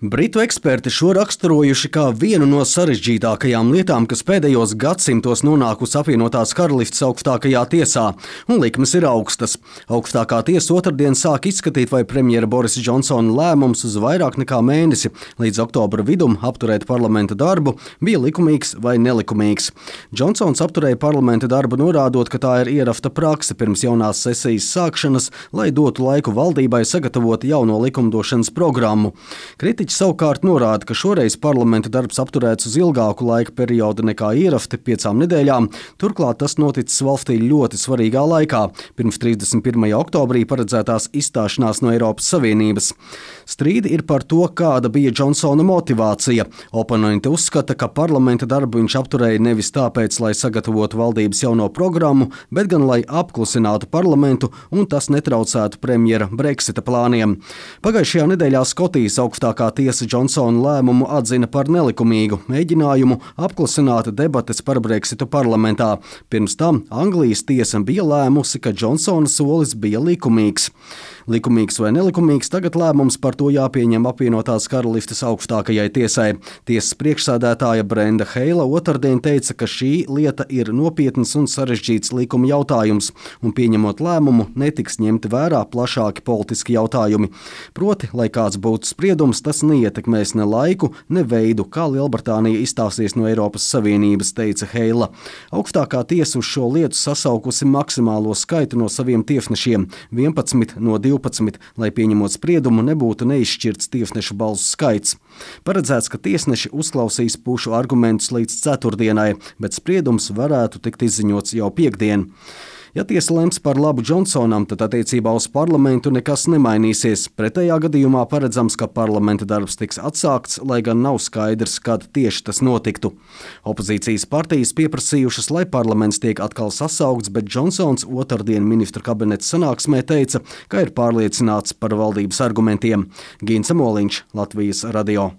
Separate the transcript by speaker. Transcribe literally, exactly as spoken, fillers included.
Speaker 1: Britu eksperti šo raksturojuši kā vienu no sarežģītākajām lietām, kas pēdējos gadsimtos nonākusi apvienotās karalistes augstākajā tiesā, un likmes ir augstas. Augstākā tiesa otrdien sāk izskatīt, vai premjera Borisa Džonsona lēmums uz vairāk nekā mēnesi līdz oktobra vidum apturēt parlamenta darbu bija likumīgs vai nelikumīgs. Džonsons apturēja parlamenta darbu, norādot, ka tā ir ierafta prakse pirms jaunās sesijas sākšanas, lai dotu laiku valdībai sagatavot jauno likumdošanas programmu. Kritiķi savukārt norāda, ka šoreiz parlamenta darbs apturēts uz ilgāku laika periodu nekā ierafti piecām nedēļām, turklāt tas noticis valstī ļoti svarīgā laikā, pirms trīsdesmit pirmajā oktobrī paredzētās izstāšanās no Eiropas Savienības. Strīdi ir par to, kāda bija Džonsona motivācija. Oponenti uzskata, ka parlamenta darbu viņš apturēja nevis tāpēc, lai sagatavotu valdības jauno programmu, bet gan lai apklusinātu parlamentu un tas netraucētu premjera Brexita plāniem. Pagājušajā nedēļā Skotijas augstākā tiesa Džonsona lēmumu atzina par nelikumīgu mēģinājumu apklusināt debates par Brexitu parlamentā. Pirms tam Anglijas tiesa bija lēmusi, ka Džonsona solis bija likumīgs. Likumīgs vai nelikumīgs, tagad lēmums par to jāpieņem apvienotās karalistes augstākajai tiesai. Tiesas priekšsēdētāja Brenda Heila otrdien teica, ka šī lieta ir nopietns un sarežģīts likuma jautājums, un pieņemot lēmumu netiks ņemti vērā plašāki politiski jautājumi. Proti, lai kāds būtu spriedums, tas neietekmēs ne laiku, ne veidu, kā Lielbritānija izstāsies no Eiropas Savienības, teica Heila. Augstākā tiesa uz šo lietu sasaukusi maksimālo skaitu no saviem tiesnešiem – vienpadsmit no divpadsmit, lai pieņemot spriedumu nebūtu neizšķirts tiesnešu balsu skaits. Paredzēts, ka tiesneši uzklausīs pušu argumentus līdz ceturtdienai, bet spriedums varētu tikt izziņots jau piektdien. Ja tiesa lems par labu Džonsonam, tad attiecībā uz parlamentu nekas nemainīsies. Pretējā gadījumā paredzams, ka parlamenta darbs tiks atsākts, lai gan nav skaidrs, kad tieši tas notiktu. Opozīcijas partijas pieprasījušas, lai parlaments tiek atkal sasaukts, bet Džonsons otrdien ministru kabineta sanāksmē teica, ka ir pārliecināts par valdības argumentiem. Gins Moliņš, Latvijas radio.